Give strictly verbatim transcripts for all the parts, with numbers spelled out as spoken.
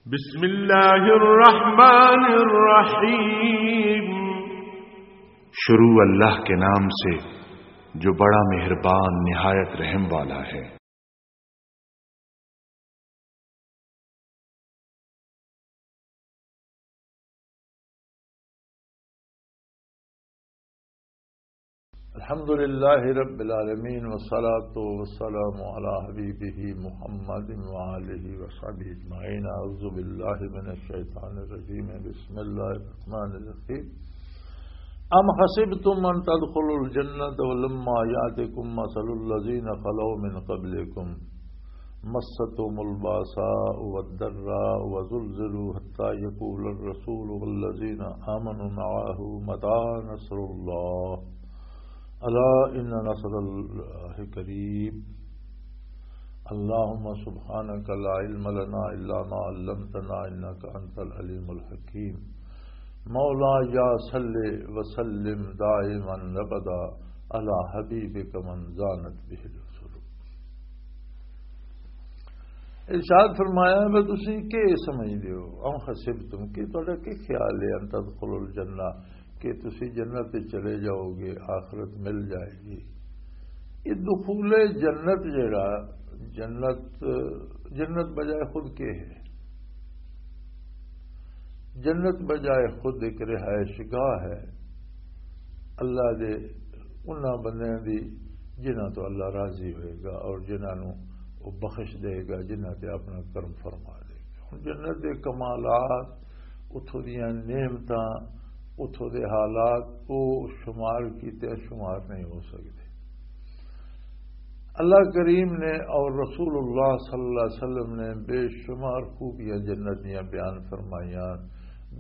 بسم اللہ الرحمن الرحیم۔ شروع اللہ کے نام سے، جو بڑا مہربان، نہایت رحم والا ہے۔ الحمد لله رب العالمين، والصلاة والسلام على حبيبه محمد وآله وصحبه أجمعين. أعوذ بالله من الشيطان الرجيم. بسم الله الرحمن الرحيم. أم حسبتم أن تدخلوا الجنة ولما يأتكم مثل الذين خلوا من قبلكم مستهم البأساء والضراء وزلزلوا حتى يقول الرسول والذين آمنوا معه متى نصر الله ألا إن نصر الله قريب. اللهم سبحانك لا علم لنا إلا ما علمتنا إنك أنت العليم الحكيم. مولاي صل وسلم دائما أبدا على حبيبك من زانت به العصر. ارشاد فرمایا، میں تسی کی سمجھدے ہو؟ ام حسبتم، کہ تہاڈا کی خیال ہے، ان تدخلوا الجنہ، کہ تسی جنت تے چلے جاؤ گے، آخرت مل جائے گی؟ یہ دخول جنت جڑا، جنت، جنت بجائے خود کے ہے؟ جنت بجائے خود ایک رہائش گاہ ہے اللہ دے انہاں بندیاں دی، جنہاں تو اللہ راضی ہوئے گا اور جنہاں نوں وہ بخش دے گا، جنہاں تے اپنا کرم فرما دے گا۔ ہن جنت دے کمالات، اتھوں دیاں نعمتاں، اتھوں دے حالات، وہ شمار کیتے شمار نہیں ہو سکدے۔ اللہ کریم نے اور رسول اللہ صلی اللہ علیہ وسلم نے بے شمار خوبیاں جنت دیاں بیان فرمائیاں۔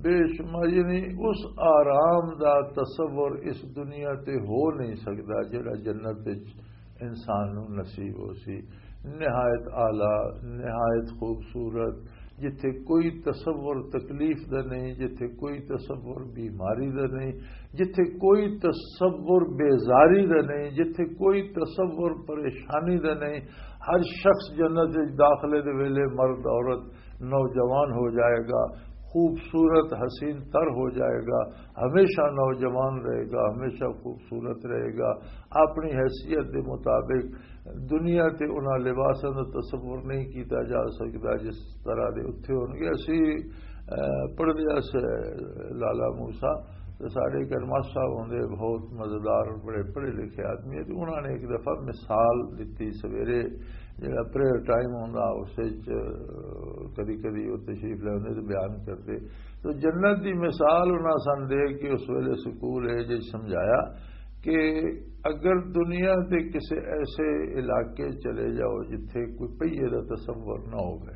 بے شمار، یعنی اس آرام دا تصور اس دنیا تے ہو نہیں سکدا جڑا جنت وچ انسان نوں نصیب ہو سی۔ نہایت اعلیٰ، نہایت خوبصورت، جتھے کوئی تصور تکلیف دا نہیں، جتھے کوئی تصور بیماری دا نہیں، جتھے کوئی تصور بیزاری دا نہیں، جتھے کوئی تصور پریشانی دا نہیں۔ ہر شخص جنت وچ داخلے دے ویلے، مرد، عورت، نوجوان ہو جائے گا، خوبصورت حسین تر ہو جائے گا، ہمیشہ نوجوان رہے گا، ہمیشہ خوبصورت رہے گا۔ اپنی حیثیت دے مطابق دنیا تے انہاں لباساں دا تصور نہیں کیتا جا سکدا جس طرح دے اتھے ہون گے۔ اسی، اے، پڑھدے اس لالا موسیٰ تے ساڈے کرماس صاحب ہوندے، بہت مزیدار، بڑے پڑھے لکھے آدمی ہے۔ تے انہاں نے ایک دفعہ مثال دتی، سویرے جڑا پریئر ٹائم ہوندا، اس وچ کدی کدی وہ تشریف لے آندے تے بیان کردے۔ تو جنت دی مثال انہاں سن دے کہ اس ویلے سکول ہے جی سمجھایا کہ اگر دنیا دے کسے ایسے علاقے چلے جاؤ جتھے کوئی پہیے دا تصور نہ ہوئے،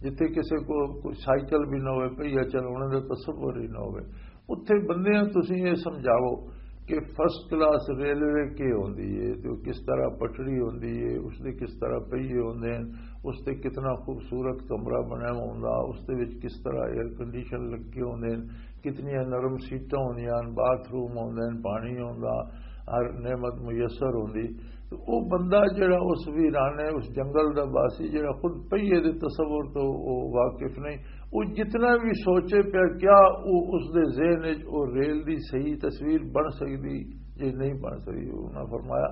جتھے کسے کو کوئی سائیکل بھی نہ ہوئے، پہیہ چلانے دا تصور ہی نہ ہوئے، اتھے بندیاں تسی یہ سمجھاؤ کہ فرسٹ کلاس ریلوے کی ہوندی ہے، تے وہ کس طرح پٹڑی ہوندی ہے، اس دے کس طرح پہیے ہوندے ہیں، اس تے کتنا خوبصورت کمرہ بنیا ہوندا، اس دے وچ کس طرح ایئر کنڈیشن لگے ہوندے ہیں، کتنیاں نرم سیٹاں ہوندیاں ہن، باتھ روم ہوندے ہیں، پانی ہوندا، ہر نعمت میسر ہوندی۔ تے او بندہ جڑا اس ویرانے، اس جنگل دا باسی، جڑا خود پہیے دے تصور تو او واقف نہیں، او جتنا بھی سوچے پیا، کیا او اس دے ذہن وچ او ریل دی صحیح تصویر بن سکدی؟ جے نہیں بن سکدی۔ انہاں فرمایا،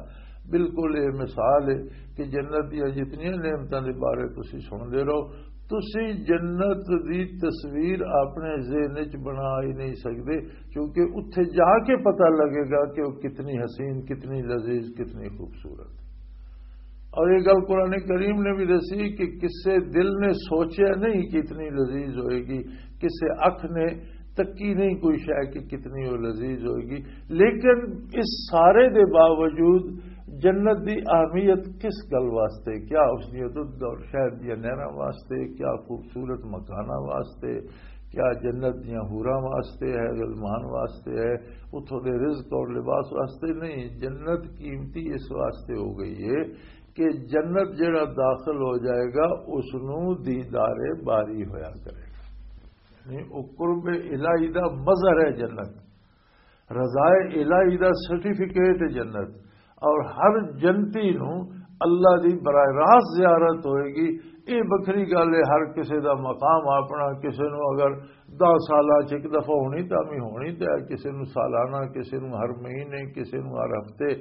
بالکل یہ مثال ہے کہ جنت دیاں جتنیاں نعمتاں دے بارے تسی سن دے رہو، تسی جنت دی تصویر اپنے ذہن وچ بنا ہی نہیں سکدے، کیونکہ اتھے جا کے پتہ لگے گا کہ وہ کتنی حسین، کتنی لذیذ، کتنی خوبصورت۔ اور یہ گل قرآن کریم نے بھی دسی کہ کسے دل نے سوچیا نہیں کہ اتنی لذیذ ہوئے گی، کسے اکھ نے تکی نہیں کوئی شے کہ کتنی وہ لذیذ ہوئے گی۔ لیکن اس سارے دے باوجود جنت دی اہمیت کس گل واسطے؟ کیا اس دی دودھ اور شہد دی نہراں واسطے؟ کیا خوبصورت مکاناں واسطے؟ کیا جنت دیاں حوراں واسطے ہے، غلمان واسطے ہے، اتھوں دے رزق اور لباس واسطے؟ نہیں، جنت قیمتی اس واسطے ہو گئی ہے کہ جنت جڑا داخل ہو جائے گا، اس نوں دیدار باری ہویا کرے گا۔ یعنی او قرب الہی دا مظہر ہے جنت، رضائے الہی دا سرٹیفکیٹ ہے جنت۔ اور ہر جنتی نوں اللہ دی براہ راست زیارت ہوئے گی، یہ بکری گل ہے، ہر کسی دا مقام اپنا۔ کسی نو اگر دس سالاں چ ایک دفعہ ہونی، تاں بھی ہونی تے کسی نو سالانہ، کسی نو ہر مہینے، کسی نو ہر ہفتے،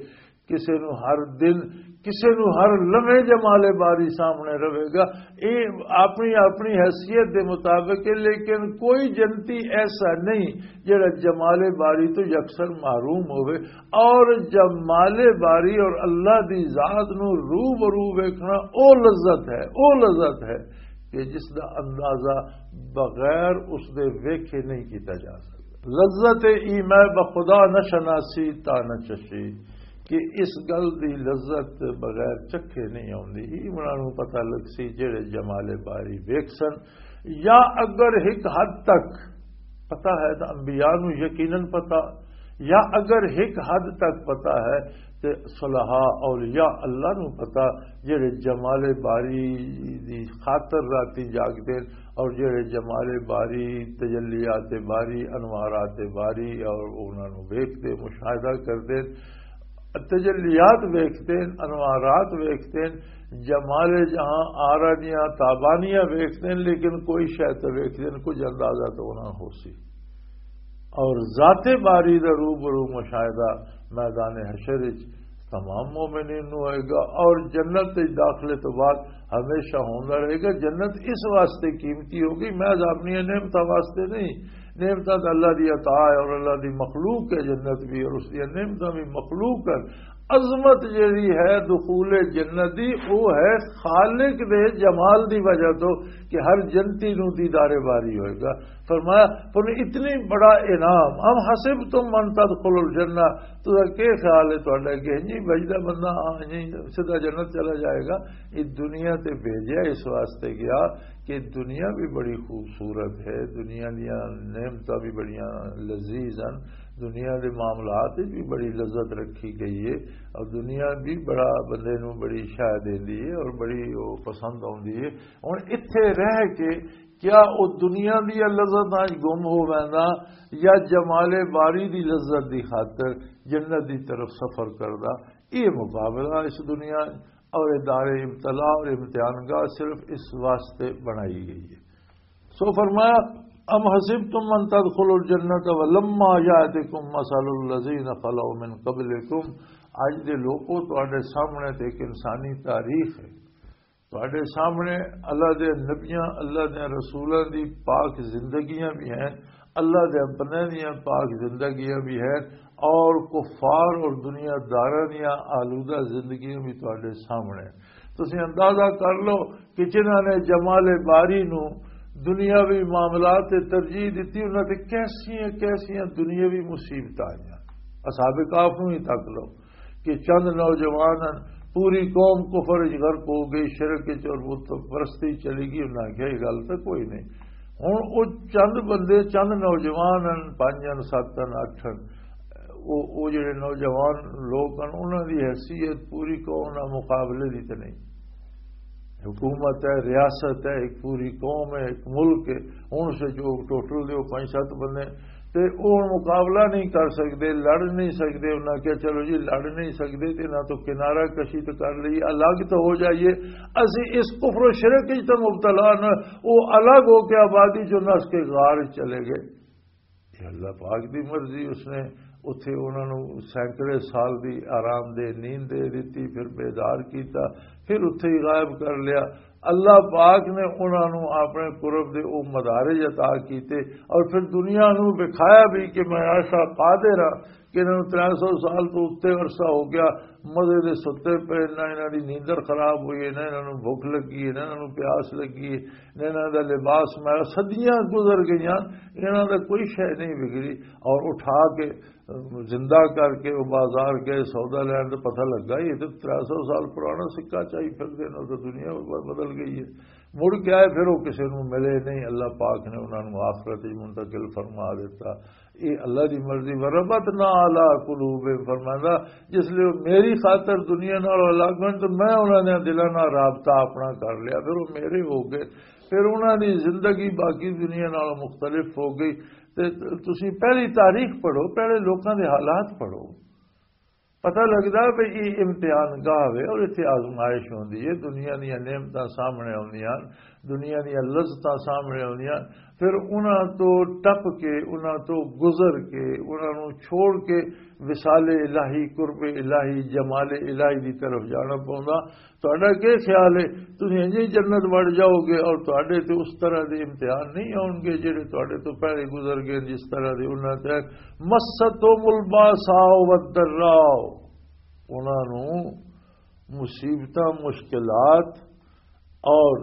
کسی نو ہر دن، کسی نو ہر لمحے جمال باری سامنے رہے گا۔ یہ اپنی اپنی حیثیت دے مطابق ہے، لیکن کوئی جنتی ایسا نہیں جڑا جمال باری تو یکسر محروم ہوئے۔ اور جمال باری اور اللہ دی ذات نو روبرو ویکھنا، او لذت ہے، او لذت ہے کہ جس دا اندازہ بغیر اس دے ویکھے نہیں کیتا جا سکتا۔ لذت ای میں بخدا نہ شناسی تا نہ چشی، کہ اس گل دی لذت بغیر چکھے نہیں آوندی۔ ای انہاں نوں پتہ لگ سی جڑے جمال باری ویکھ سن، یا اگر ایک حد تک پتہ ہے تو انبیاء نوں یقیناً پتہ، یا اگر ایک حد تک پتہ ہے تے صلحاء اولیاء اللہ نوں پتہ، جڑے جمال باری دی خاطر راتی جاگدے اور جڑے جمال باری، تجلیات باری، انوارات باری اور انہاں نوں ویکھدے، مشاہدہ کردے، تجلیات ویکھدے، انوارات ویکھدے، جمال جہاں آرا دیاں تابانیاں ویکھدے، لیکن کوئی شے تے ویکھدے، کچھ اندازہ تو انہاں ہو سی۔ اور ذات باری دا روبرو مشاہدہ میدان حشر وچ تمام مومنین نوں ہوئے گا، اور جنت وچ داخلے تو بعد ہمیشہ ہوندا رہے گا۔ جنت اس واسطے قیمتی ہوگی، محض اپنی نعمتاں واسطے نہیں۔ نعمتاں تے اللہ دی عطا ہے اور اللہ دی مخلوق ہے جنت بھی، اور اس دی نعمتاں بھی مخلوق ہیں۔ عظمت جیڑی ہے دخول جنت دی، وہ ہے خالق دے جمال دی وجہ تو کہ ہر جنتی نوں دیدار باری ہوئے گا۔ فرمایا، پر اتنی بڑا انعام، ام حسبتم ان تدخلوا الجنہ، تہاڈا کی خیال ہے تہاڈا کہ جی بجدا بندہ ہاں جی سیدھا جنت چلا جائے گا؟ یہ دنیا تے بھیجیا اس واسطے گیا کہ دنیا بھی بڑی خوبصورت ہے، دنیا دیاں نعمتاں بھی بڑیاں لذیذ ہیں، دنیا دے معاملات وچ بھی بڑی لذت رکھی گئی ہے، اور دنیا بھی بڑا بندے نوں بڑی شاہ دیندی ہے اور بڑی وہ پسند آوندی ہے۔ ہن اتھے رہ کے کیا او دنیا دی لذت وچ گم ہو ویندا، یا جمال باری دی لذت دی خاطر جنت دی طرف سفر کردا؟ یہ مقابلہ اس دنیا اور یہ دار ابتلا اور امتحان گاہ صرف اس واسطے بنائی گئی ہے۔ سو فرمایا، ام حسبتم ان تدخلوا الجنة ولما یاتکم مثل الذین خلو من قبلکم۔ اج دے لوکو، تہاڈے سامنے تے ایک انسانی تاریخ ہے۔ تہاڈے سامنے اللہ دے نبیاں، اللہ دے رسولاں دی پاک زندگیاں بھی ہیں، اللہ دے اپنے دیاں پاک زندگیاں بھی ہیں، اور کفار اور دنیا داراں دیاں آلودہ زندگیاں بھی تہاڈے سامنے ہیں۔ تسی اندازہ کر لو کہ جنہاں نے جمال باری نو دنیاوی معاملات تے ترجیح دتی، انہاں تے کیسیاں کیسیاں دنیاوی مصیبتاں آئیاں۔ اصحاب کہف نو ہی تک لو کہ چند نوجوان ہن، پوری قوم کفر وچ غرق ہو گئی، شرک وچ اور بت پرستی چلی گئی، انہاں آکھیا، "یہ گل تاں کوئی نہیں۔" ہن او چند بندے، چند نوجوان ہن، پنج ہن، ست ہن، اٹھ ہن، او، او جڑے نوجوان لوگ ہن، انہاں دی حیثیت پوری قوم نال مقابلے دی تے نہیں۔ حکومت ہے، ریاست ہے، ایک پوری قوم ہے، ایک ملک ہے، ہن سے جو ٹوٹل دے او پنج ست بندے تے او ہن مقابلہ نہیں کر سکدے، لڑ نہیں سکدے۔ انہاں کہیا، "چلو جی، لڑ نہیں سکدے تے انہاں تو کنارہ کشی تو کر لئی، الگ تو ہو جائیے، اسی اس کفر و شرک وچ تو مبتلا نہ۔" او الگ ہو کے آبادی چوں نس کے غار وچ چلے گئے۔ یہ اللہ پاک دی مرضی، اس نے اتھے انہاں نوں سینکڑے سال دی آرام دہ نیند دے دتی، پھر بیدار کیتا، پھر اتھے ہی غائب کر لیا۔ اللہ پاک نے انہاں نوں اپنے قرب دے او مدارج عطا کیتے اور پھر دنیا نوں وکھایا بھی کہ میں ایسا قادر ہاں کہ انہاں نوں ترے سو سال تو اتے عرصہ ہو گیا، مزے دے ستے پے، نہ انہاں دی نیندر خراب ہوئی ہے، نہ انہاں نوں بھوک لگی ہے، نہ انہاں نوں پیاس لگی ہے، نہ انہاں دا لباس میلا، صدیاں گزر گئیاں، انہاں دا کوئی شے نہیں بگڑی۔ اور اٹھا کے، زندہ کر کے وہ بازار گئے، سودا لین، تو پتہ لگا یہ تو ترے سو سال پرانا سکہ چاہی پھر دے، نہ تو دنیا ب-، بدل گئی ہے۔ مڑ کے آئے، پھر وہ کسی نوں ملے نہیں، اللہ پاک نے انہاں نوں آخرت وچ منتقل فرما دیتا۔ یہ اللہ دی مرضی۔ "وربطنا علی قلوبہم"، فرماندا، جس لیے وہ میری خاطر دنیا نال الگ ہن تو میں انہاں دے دلاں نال رابطہ اپنا کر لیا، پھر وہ میرے ہو گئے، پھر انہاں دی زندگی باقی دنیا نال مختلف ہو گئی۔ تے تسی پہلی تاریخ پڑھو، پہلے لوکاں دے حالات پڑھو۔ پتہ لگدا بھی یہ امتحان گاہ وے اور اتھے آزمائش ہوندی ہے، دنیا دیاں نعمتاں سامنے آوندیاں، دنیا دیاں لذتاں سامنے آوندیاں، پھر انہاں تو ٹپ کے، انہاں تو گزر کے، انہاں نوں چھوڑ کے وصال الہی، قرب الہی، جمال الہی دی طرف جانا پوندا۔ تہاڈا کی خیال ہے؟ تسی انجے ہی جنت وڑ جاؤ گے اور تہاڈے تے اس طرح دے امتحان نہیں آؤن گے جڑے تہاڈے تو پہلے گزر گئے، جس طرح دے انہاں تے۔ مستہم الباساء والضراء، انہاں نوں مصیبتاں، مشکلات اور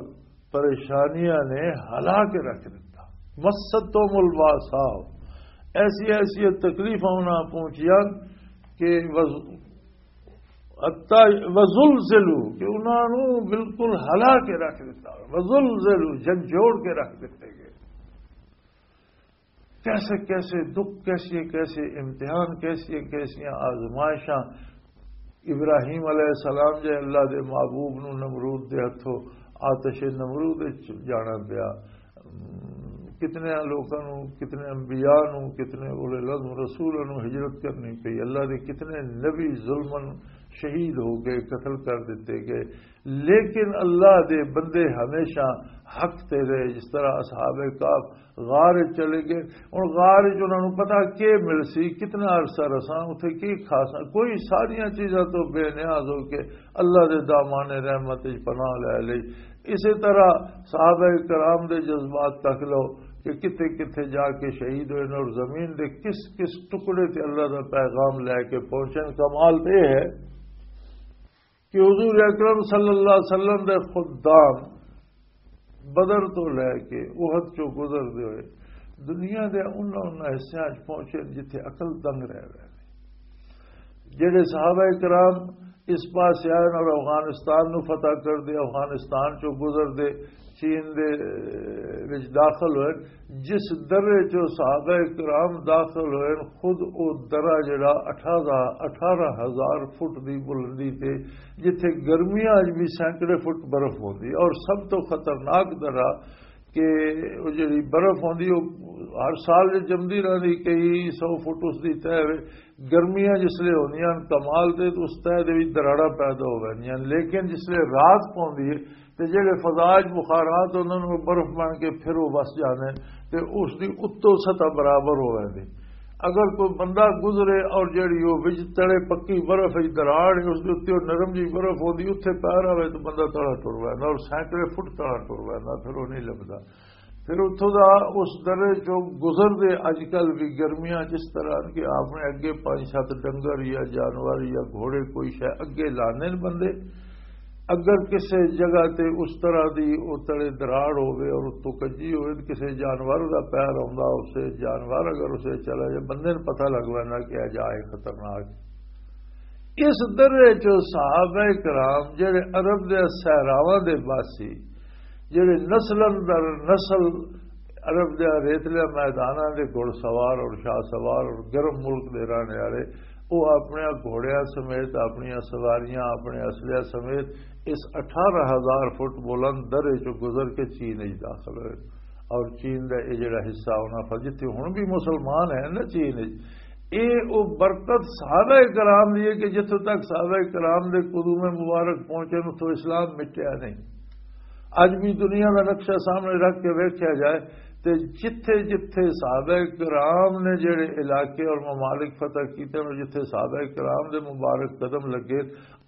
پریشانیاں نے ہلا کے رکھ دیتا۔ مستہم الباساء، ایسی ایسی تکلیفاں انہاں پہنچیاں کہ وز-، حتی وزلزلوا، کہ انہاں نوں بالکل ہلا کے رکھ دیتا، وزلزلوا، جھنجھوڑ کے رکھ دیتے گئے۔ کیسے کیسے دکھ، کیسے کیسے امتحان، کیسے کیسے آزمائشاں۔ ابراہیم علیہ السلام جے اللہ دے محبوب نوں نمرود دے ہتھوں آتش نمرود وچ جانا پیا۔ کتنے لوکاں نوں، کتنے انبیاء نوں، کتنے اولے العزم رسولاں نوں ہجرت کرنی پئی۔ اللہ دے کتنے نبی ظلمن شہید ہو گئے، قتل کر دتے گئے۔ لیکن اللہ دے بندے ہمیشہ حق تے رہے، جس طرح اصحاب کہف غار وچ چلے گئے۔ ہن غار وچ انہاں نوں پتہ کی مل سی، کتنا عرصہ رساں، اتھے کی کھاساں، کوئی ساریاں چیزاں تو بے نیاز ہو کے اللہ دے دامان رحمت وچ پناہ لے لئی۔ اسی طرح صحابہ کرام دے جذبات تک لو کہ کتھے کتھے جا کے شہید ہوئے نے اور زمین دے کس کس ٹکڑے تے اللہ دا پیغام لے کے پہنچن۔ کمال تے یہ ہے کہ حضور اکرم صلی اللہ علیہ وسلم دے خدام بدر تو لے کے احد چوں گزردے ہوئے دنیا دے انہاں انہاں حصیاں وچ پہنچے جتھے عقل دنگ رہ گئے۔ جڑے صحابہ کرام اس پاسے آئے اور افغانستان نو فتح کر دے، افغانستان چوں گزر دے، چین دے وچ داخل ہوئے، جس درے چوں صحابہ کرام داخل ہوئے، خود او درا جڑا اٹھارہ، اٹھارہ ہزار فٹ دی بلندی تے، جتھے گرمیاں وچ بھی سینکڑے فٹ برف ہوندی، اور سب تو خطرناک درا کہ وہ جڑی برف ہوندی، وہ ہر سال جو جمدی رہندی، کئی سو فٹ اس دی تہہ وے۔ گرمیاں جس لے ہوندیاں ہن، کمال دے تے اس تہہ دے وچ دراڑاں پیدا ہو ویندیاں ہن، لیکن جس لے رات پوندی ہے تے جڑے فضا وچ بخارات ہوندے نے، وہ برف بن کے پھر وہ وس جاندے نے تے اس دی اتوں سطح برابر ہو ویندی۔ اگر کوئی بندہ گزرے اور جڑی وہ وچ تڑے پکی برف وچ دراڑ ہے، اس دے اُتے وہ نرم جی برف ہوندی، اتھے پیر آوے تو بندہ تڑا ٹر ویندا اور سینکڑے فٹ تڑا ٹر ویندا، پھر وہ نہیں لبدا۔ پھر اتھوں دا اس درے چوں گزر دے، اج کل بھی گرمیاں جس طرح کہ آپ نے اگے پنج ست ڈنگر یا جانور یا گھوڑے کوئی شے اگے لانے نے بندے۔ اگر کسے جگہ تے اس طرح دی او تڑے دراڑ ہوے اور اتوں کجی ہوے تے کسے جانور دا پیر آوندا، اسے جانور اگر اسے چلا جائے، بندے نوں پتہ لگ ویندا کہ اے جا اے خطرناک۔ اس درے چ صحابہ کرام جڑے عرب دے صحراواں دے واسی، جڑے نسلاں در نسل عرب دے ریتلے میداناں دے گھڑ سوار اور شاہ سوار اور گرم ملک دے رہنے والے، وہ اپنے گھوڑیاں سمیت، اپنی سواریاں، اپنے اسلحہ سمیت اس اٹھارہ ہزار فٹ بلند درے چ گزر کے چین وچ داخل ہوئے۔ اور چین دا یہ جڑا حصہ انہاں پر، جتھے ہن بھی مسلمان ہیں نا چین وچ، اے او برکت صحابہ کرام دی ہے کہ جتھوں تک صحابہ کرام دے قدوم مبارک پہنچے، اتھوں اسلام مٹیا نہیں۔ اج بھی دنیا دا نقشہ سامنے رکھ کے ویکھیا جائے تے جتھے جتھے صحابہ کرام نے جڑے علاقے اور ممالک فتح کیتے اور جتھے صحابہ کرام دے مبارک قدم لگے،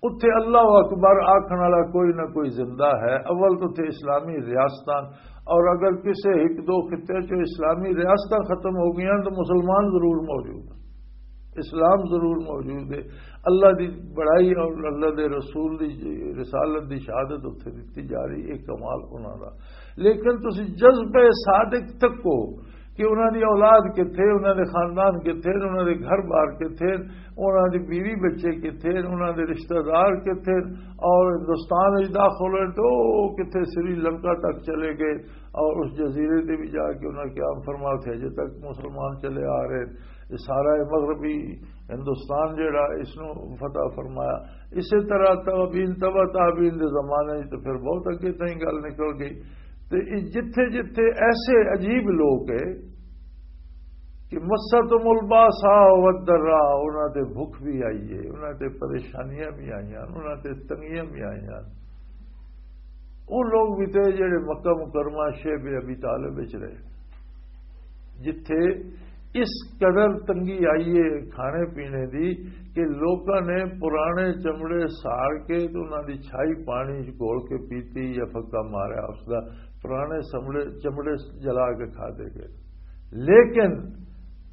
اتھے اللہ اکبر آکھن والا کوئی نہ کوئی زندہ ہے۔ اول تو اتھے اسلامی ریاستاں، اور اگر کسے ایک دو خطے چ اسلامی ریاستاں ختم ہو گئیاں تو مسلمان ضرور موجود ہیں، اسلام ضرور موجود ہے۔ اللہ دی بڑائی اور اللہ دے رسول دی رسالت دی شہادت اتھے دتی جا رہی، ایک کمال انہاں دا۔ لیکن تسی جذبہ صادق تکو کہ انہاں دی اولاد کتھے، انہاں دے خاندان کتھے، انہاں دے گھر بار کتھے، انہاں دی بیوی بچے کتھے، انہاں دے رشتہ دار کتھے، اور ہندوستان وچ داخل ہوئے تو کتھے سری لنکا تک چلے گئے اور اس جزیرے تے بھی جا کے انہاں قیام فرما تھے۔ اجے تک مسلمان چلے آ رہے ہیں۔ یہ سارا یہ مغربی ہندوستان جڑا، اس نو فتح فرمایا۔ اسی طرح تابعین، تبع تابعین دے زمانے وچ تو پھر بہت اگے تائیں گل نکل گئی۔ تے یہ جتھے جتھے ایسے عجیب لوگ ہے، کہ مستم الباسا والضراء، انہاں تے بھوک بھی آئی ہے، انہاں تے پریشانیاں بھی آئیاں، انہاں تے تنگیاں بھی آئیاں۔ وہ لوگ بھی تھے جڑے مکہ مکرمہ شیب ابی طالب وچ رہے، جتھے اس قدر تنگی آئی ہے کھانے پینے دی کہ لوکاں نے پرانے چمڑے ساڑ کے تے انہاں دی چھائی پانی وچ گھول کے پیتی یا پھکا ماریا، اس دا پرانے چمڑے، چمڑے جلا کے کھا دے گئے۔ لیکن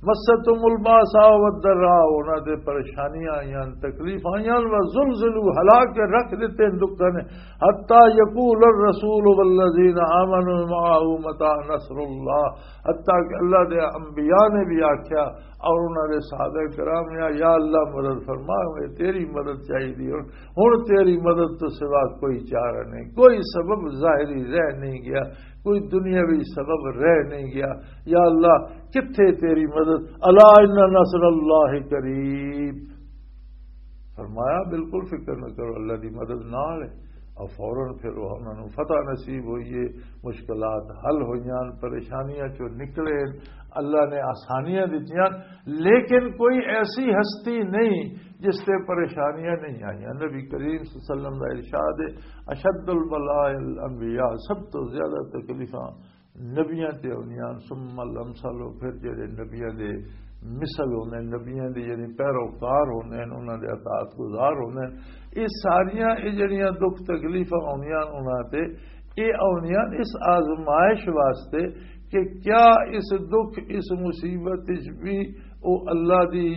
مستم الباسا والضراء، انہاں تے پریشانیاں آئیاں، تکلیف آئیاں، وزلزلوا، ہلا کے رکھ دیتے ہیں دکھاں نے، حتی یقول الرسول والذین آمنوا معه متى نصر اللہ، حتی کہ اللہ دے انبیاء نے بھی آکھیا اور انہاں دے صحابہ کرام نے، یا اللہ مدد فرما، ہمیں تیری مدد چاہیے، ہن تیری مدد تو سوا کوئی چارہ نہیں، کوئی سبب ظاہری رہ نہیں گیا، کوئی دنیاوی سبب رہ نہیں گیا۔ یا اللہ، کتھے تیری مدد؟ الا ان نصر اللہ قریب۔ فرمایا، بالکل فکر نہ کرو، اللہ دی مدد نال ہے۔ اور فوراً پھر وہ انہاں نوں فتح نصیب ہوئی ہے، مشکلات حل ہوئیاں، پریشانیاں چوں نکلے، اللہ نے آسانیاں دتیاں۔ لیکن کوئی ایسی ہستی نہیں جس تے پریشانیاں نہیں آئیاں۔ نبی کریم صلی اللہ علیہ وسلم دا ارشاد ہے، اشد البلاء الانبیاء، سب تو زیادہ تکلیفاں نبیاں تے ہوندیاں، ثم الامثل، پھر جڑے نبیاں دے مثل ہوندے، نبیاں دے یعنی پیروکار ہوندے ہیں، انہاں دے اطاعت گزار ہوندے ہیں۔ یہ ساریاں، یہ جڑیاں دکھ تکلیفاں ہوندیاں انہاں تے، یہ ہوندیاں اس آزمائش واسطے کہ کیا اس دکھ، اس مصیبت وچ بھی او اللہ دی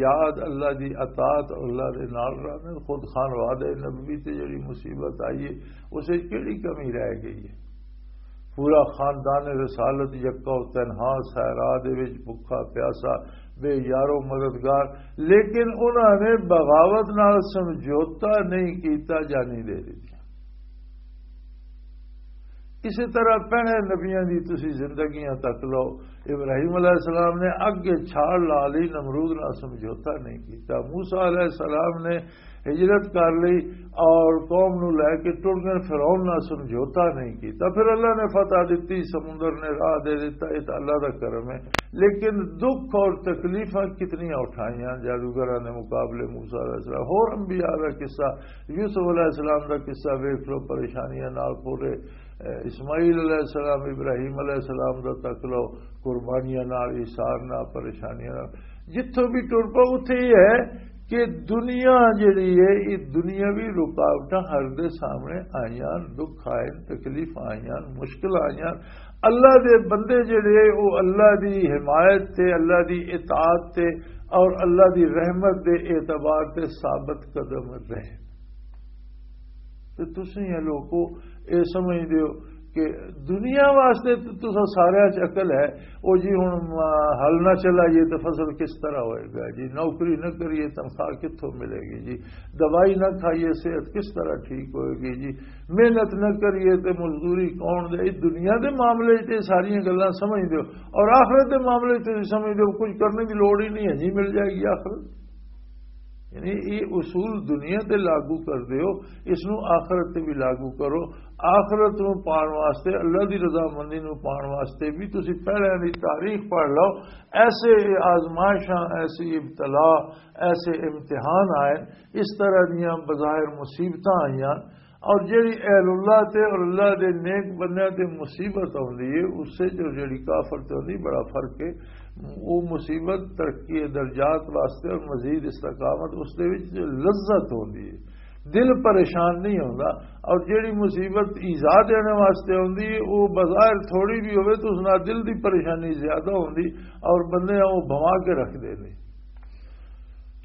یاد، اللہ دی اطاعت، اللہ دے نال رہندے۔ خود خانوادہ نبوی تے جڑی مصیبت آئی ہے، اس وچ کیڑی کمی رہ گئی ہے؟ پورا خاندان رسالت یکا و تنہا صحرا دے وچ بھکھا پیاسا، بے یارو مددگار، لیکن انہاں نے بغاوت نال سمجھوتا نہیں کیتا، جانی دے دتی۔ اسی طرح پہلے نبیاں دی تسی زندگیاں تک لو، ابراہیم علیہ السلام نے اگے چھال لا لی، نمرود نال سمجھوتا نہیں کیتا۔ موسیٰ علیہ السلام نے ہجرت کر لی اور قوم نو لے کے ٹر گئے، فرعون نال سمجھوتا نہیں کیتا۔ پھر اللہ نے فتح دتی، سمندر نے راہ دے دتا، یہ تو اللہ دا کرم ہے۔ لیکن دکھ اور تکلیفاں کتنیاں اٹھائیاں جادوگراں نے مقابلے موسیٰ علیہ السلام۔ ہور انبیاء دا قصہ، یوسف علیہ السلام دا قصہ ویکھ لو، پریشانیاں نال پورے، اے، اسماعیل علیہ السلام، ابراہیم علیہ السلام دا تک لو، قربانیاں نال، ایثار نال، پریشانیاں نال۔ جتھوں بھی ٹر پو، اتھے یہ ہے کہ دنیا جڑی ہے، یہ دنیاوی رکاوٹاں ہر دے سامنے آئیاں، دکھ آئے، تکلیف آئیاں، مشکل آئیاں۔ اللہ دے بندے جڑے، وہ اللہ دی حمایت تے، اللہ دی اطاعت تے اور اللہ دی رحمت دے اعتبار تے ثابت قدم رہے۔ تے تسیں یہ لوکو، اے سمجھ دیو کہ دنیا واسطے تے تساں سارے چ عقل ہے۔ او جی، ہن، آ، ہل نہ چلائیے تے فصل کس طرح ہوئے گا جی؟ نوکری نہ کریے، تنخواہ کتھوں ملے گی جی؟ دوائی نہ کھائیے، صحت کس طرح ٹھیک ہوئے گی جی؟ محنت نہ کریے تے مزدوری کون دے؟ اس دنیا دے معاملے تے ساریاں گلاں سمجھ دیو، اور آخرت دے معاملے تے سمجھ دیو، کچھ کرنے دی لوڑ ہی نہیں ہے جی، مل جائے گی آخرت۔ یعنی یہ اصول دنیا تے لاگو کر دیو، اس نو آخرت تے بھی لاگو کرو۔ آخرت نو پان واسطے، اللہ دی رضامندی نو پان واسطے بھی تسی پہلے دی تاریخ پڑھ لو۔ ایسے آزمائشاں، ایسی ابتلا، ایسے امتحان آئے، اس طرح دیاں بظاہر مصیبتاں آئیاں، اور جڑی اہل اللہ تے اور اللہ دے نیک بندیاں تے مصیبت آوندی ہے، اس سے جو جڑی کافر تے ہوندی، بڑا فرق ہے۔ وہ مصیبت ترقی درجات واسطے اور مزید استقامت، اس دے وچ جو لذت ہوندی ہے، دل پریشان نہیں ہوندا۔ اور جڑی مصیبت ایذا دینے واسطے ہوندی ہے، وہ بظاہر تھوڑی بھی ہوئے تو اس نال دل دی پریشانی زیادہ ہوندی اور بندے وہ بھوا کے رکھ دے۔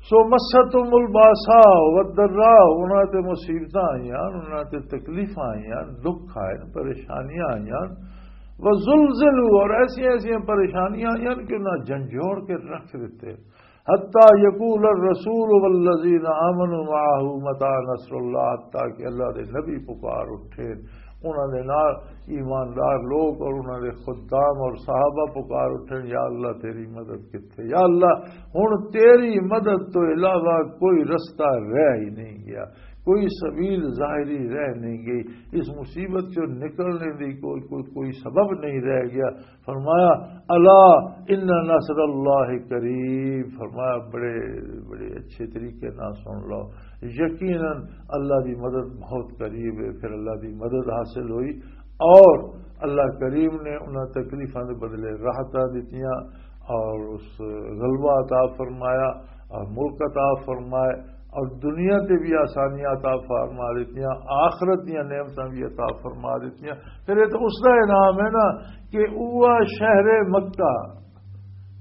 سو مستہم الباساء والضراء، انہاں تے مصیبتاں آئیاں، انہاں تے تکلیفاں آئیاں، دکھ آئے، پریشانیاں آئیاں، وزلزلوا، اور ایسی ایسی پریشانیاں آئیاں کہ انہاں جھنجھوڑ کے رکھ دتے۔ حتی یقول الرسول والذین آمنوا معه متى نصر اللہ، حتی کہ اللہ دے نبی پکار اٹھے، انہاں دے نال ایماندار لوگ اور انہاں دے خدام اور صحابہ پکار اٹھے، یا اللہ تیری مدد کتھے؟ یا اللہ، ہن تیری مدد تو علاوہ کوئی رستہ رہ ہی نہیں گیا۔ کوئی سبیل ظاہری رہ نہیں گئی۔ اس مصیبت چوں نکلنے دی کوئی، کوئی، کوئی سبب نہیں رہ گیا۔ فرمایا، "الا ان نصر اللہ قریب۔" فرمایا، بڑے، بڑے اچھے طریقے نال سن لو، یقیناً اللہ دی مدد بہت قریب ہے۔ پھر اللہ دی مدد حاصل ہوئی اور اللہ کریم نے انہاں تکلیفاں دے بدلے راحتاں دتیاں اور اس غلبہ عطا فرمایا اور ملک عطا فرمائے اور دنیا تے بھی آسانیاں عطا فرما دتیاں، آخرت دیاں نعمتاں بھی عطا فرما دتیاں۔ پھر یہ تو اس دا انعام ہے نا کہ وہ شہر مکہ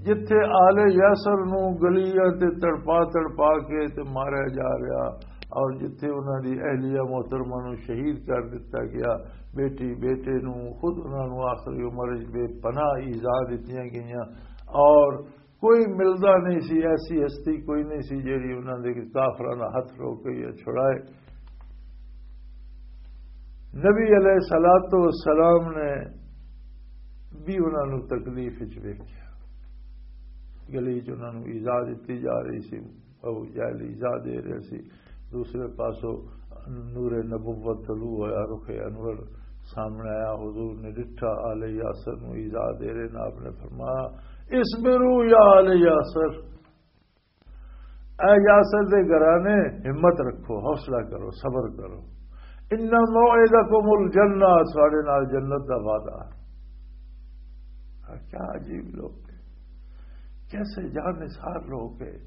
جتھے آل یاسر نو گلیاں تے تڑپا تڑپا کے تے ماریا جا رہا اور جتھے انہاں دی اہلیہ محترمہ نو شہید کر دتا گیا، بیٹی بیٹے نو، خود انہاں نو آخری عمر وچ بے پناہ ایذا دتیاں گئیاں اور کوئی ملدا نہیں سی، ایسی ہستی کوئی نہیں سی جیڑی انہاں دے کافراں دا ہتھ روک کے یا چھڑائے۔ نبی علیہ الصلوۃ والسلام نے بھی انہاں نوں تکلیف وچ ویکھیا۔ گلی چ انہاں نوں ایذا دتی جا رہی سی، ابو جہل ایذا دے رہے سی۔ دوسرے پاسوں نور نبوت طلوع ہویا، رخ انور سامنے آیا، حضور نے ڈٹھا آل یاسر نوں ایذا دے رہے نے، آپ نے فرمایا، "اصبروا یا آل یاسر، اے یاسر دے گھرانے، ہمت رکھو، حوصلہ کرو، صبر کرو۔ ان موعدکم الجنہ، تہاڈے نال جنت دا وعدہ۔" کیا عجیب لوگ ہیں، کیسے جان نثار لوگ ہیں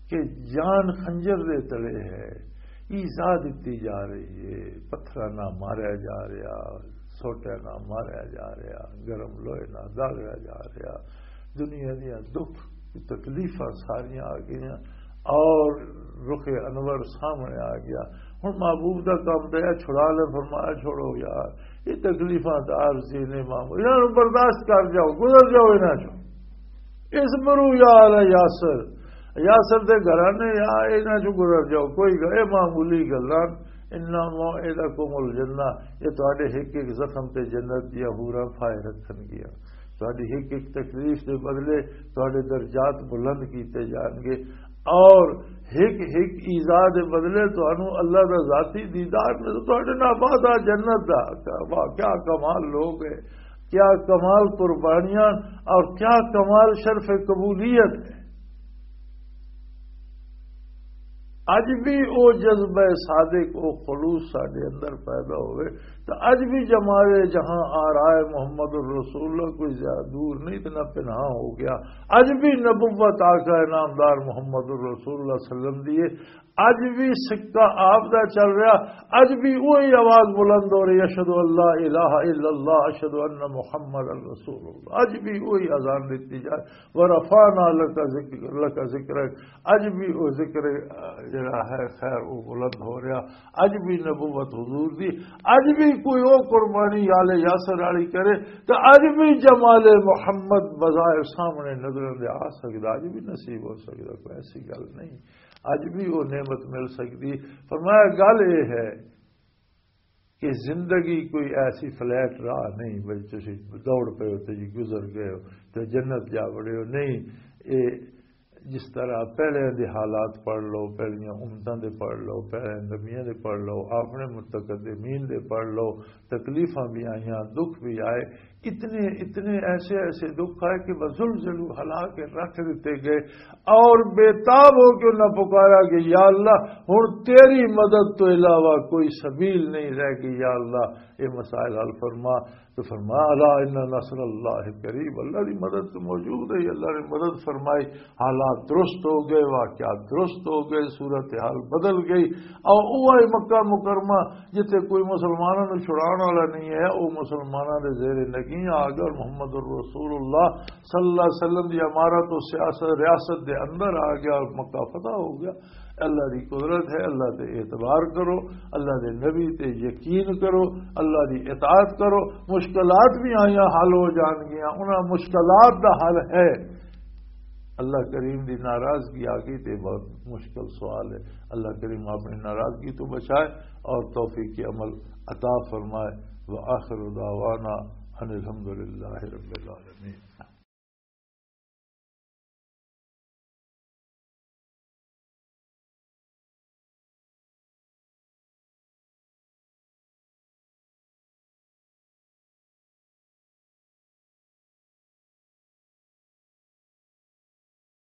کہ جان خنجر دے تلے ہے، ایذا دتی جا رہی ہے، پتھراں نال ماریا جا رہا، سوٹے نال ماریا جا رہا، گرم لوہے نال داغیا جا رہا۔ دنیا دیاں دکھ تکلیفاں ساریاں آ گئیاں اور رخ انور سامنے آ گیا۔ ہن محبوب دا کم تے اے چھڑا لے، فرمایا، "چھوڑو یار، یہ تکلیفاں تے عارضی نے، معمول، انہاں نوں برداشت کر جاؤ، گزر جاؤ انہاں چوں۔ اصبروا یا آل یاسر، یاسر دے گھرانے، یا انہاں چوں گزر جاؤ، کوئی گل، یہ معمولی گلاں۔ ان موعدکم الجنہ، یہ تہاڈے ہک ہک زخم تے جنت دیاں حوراں پھائے رکھن گیاں۔ تہاڈی ہک ہک تکلیف دے بدلے تہاڈے درجات بلند کیتے جان گے، اور ہک ہک ایذا دے بدلے تہانوں اللہ دا ذاتی دیدار نظر، تہاڈے نال وعدہ جنت دا۔" کیا واہ، کیا کمال لوگ ہے، کیا کمال قربانیاں اور کیا کمال شرف قبولیت ہے۔ اج بھی او جذبہ صادق، او خلوص ساڈے اندر پیدا ہوئے، تو اج بھی جمال جہاں آ رہا ہے محمد الرسول اللہ، کوئی زیادہ دور نہیں، اتنا پناہ ہو گیا۔ اج بھی نبوت آقا نامدار محمد الرسول اللہ صلی اللہ علیہ وسلم دی ہے۔ اج بھی سکہ آپ دا چل رہا، اج بھی وہی آواز بلند ہو رہی، "اشہد ان لا الہ الا اللہ، اشہد ان محمد رسول اللہ۔" اج بھی وہی اذان دیتی جائے، "ورفعنا لک ذکر، لک ذکرک۔" اج بھی وہ ذکر، آ، جڑا ہے، خیر، وہ بلند ہو رہا۔ اج بھی نبوت حضور دی، اج بھی کوئی وہ قربانی آل یاسر والی کرے، تو اج بھی جمال محمد بظاہر سامنے نظر دے آ سکدا، اج بھی نصیب ہو سکدا، کوئی ایسی گل نہیں۔ اج بھی وہ نعمت مل سکدی۔ فرمایا، گل یہ ہے کہ زندگی کوئی ایسی فلیٹ راہ نہیں بھئی تسی دوڑ پئے ہو تے جی گزر گئے ہو تے جنت جا وڑے ہو، نہیں۔ اے جس طرح پہلے دے حالات پڑھ لو، پہلیاں امتاں دے پڑھ لو، پہلے نبیاں دے پڑھ لو، اپنے متقدمین دے پڑھ لو، تکلیفاں بھی آئیاں، دکھ بھی آئے، اتنے، اتنے ایسے، ایسے دکھ آئے کہ وزلزلوا، ہلا کے رکھ دیتے گئے، اور بے تاب ہو کے انہاں پکارا کہ یا اللہ، ہن تیری مدد تو علاوہ کوئی سبیل نہیں رہ گئی، یا اللہ، یہ مسائل حل فرما۔ تو فرمایا، الا ان نصر اللہ قریب، اللہ دی مدد تو موجود ہے، اللہ نے مدد فرمائی، حالات درست ہو گئے، واقعات درست ہو گئے، صورتحال بدل گئی۔ اور وہ مکہ مکرمہ جتھے کوئی مسلماناں نوں چھڑاون والا نہیں ہے، وہ مسلماناں دے زیر نگین آ گیا اور محمد الرسول اللہ صلی اللہ علیہ وسلم دی امارت و سیاست، ریاست دے اندر آ گیا اور مکہ فتح ہو گیا۔ اللہ دی قدرت ہے، اللہ تے اعتبار کرو، اللہ دے نبی تے یقین کرو، اللہ دی اطاعت کرو۔ مشکلات بھی آئیاں، حل ہو جان گیاں، انہاں مشکلات دا حل ہے۔ اللہ کریم دی ناراضگی آ گئی تے بہت مشکل سوال ہے۔ اللہ کریم اپنی ناراضگی تو بچائے اور توفیق عمل عطا فرمائے۔ وآخر دعوانا ان الحمدللہ رب العالمین۔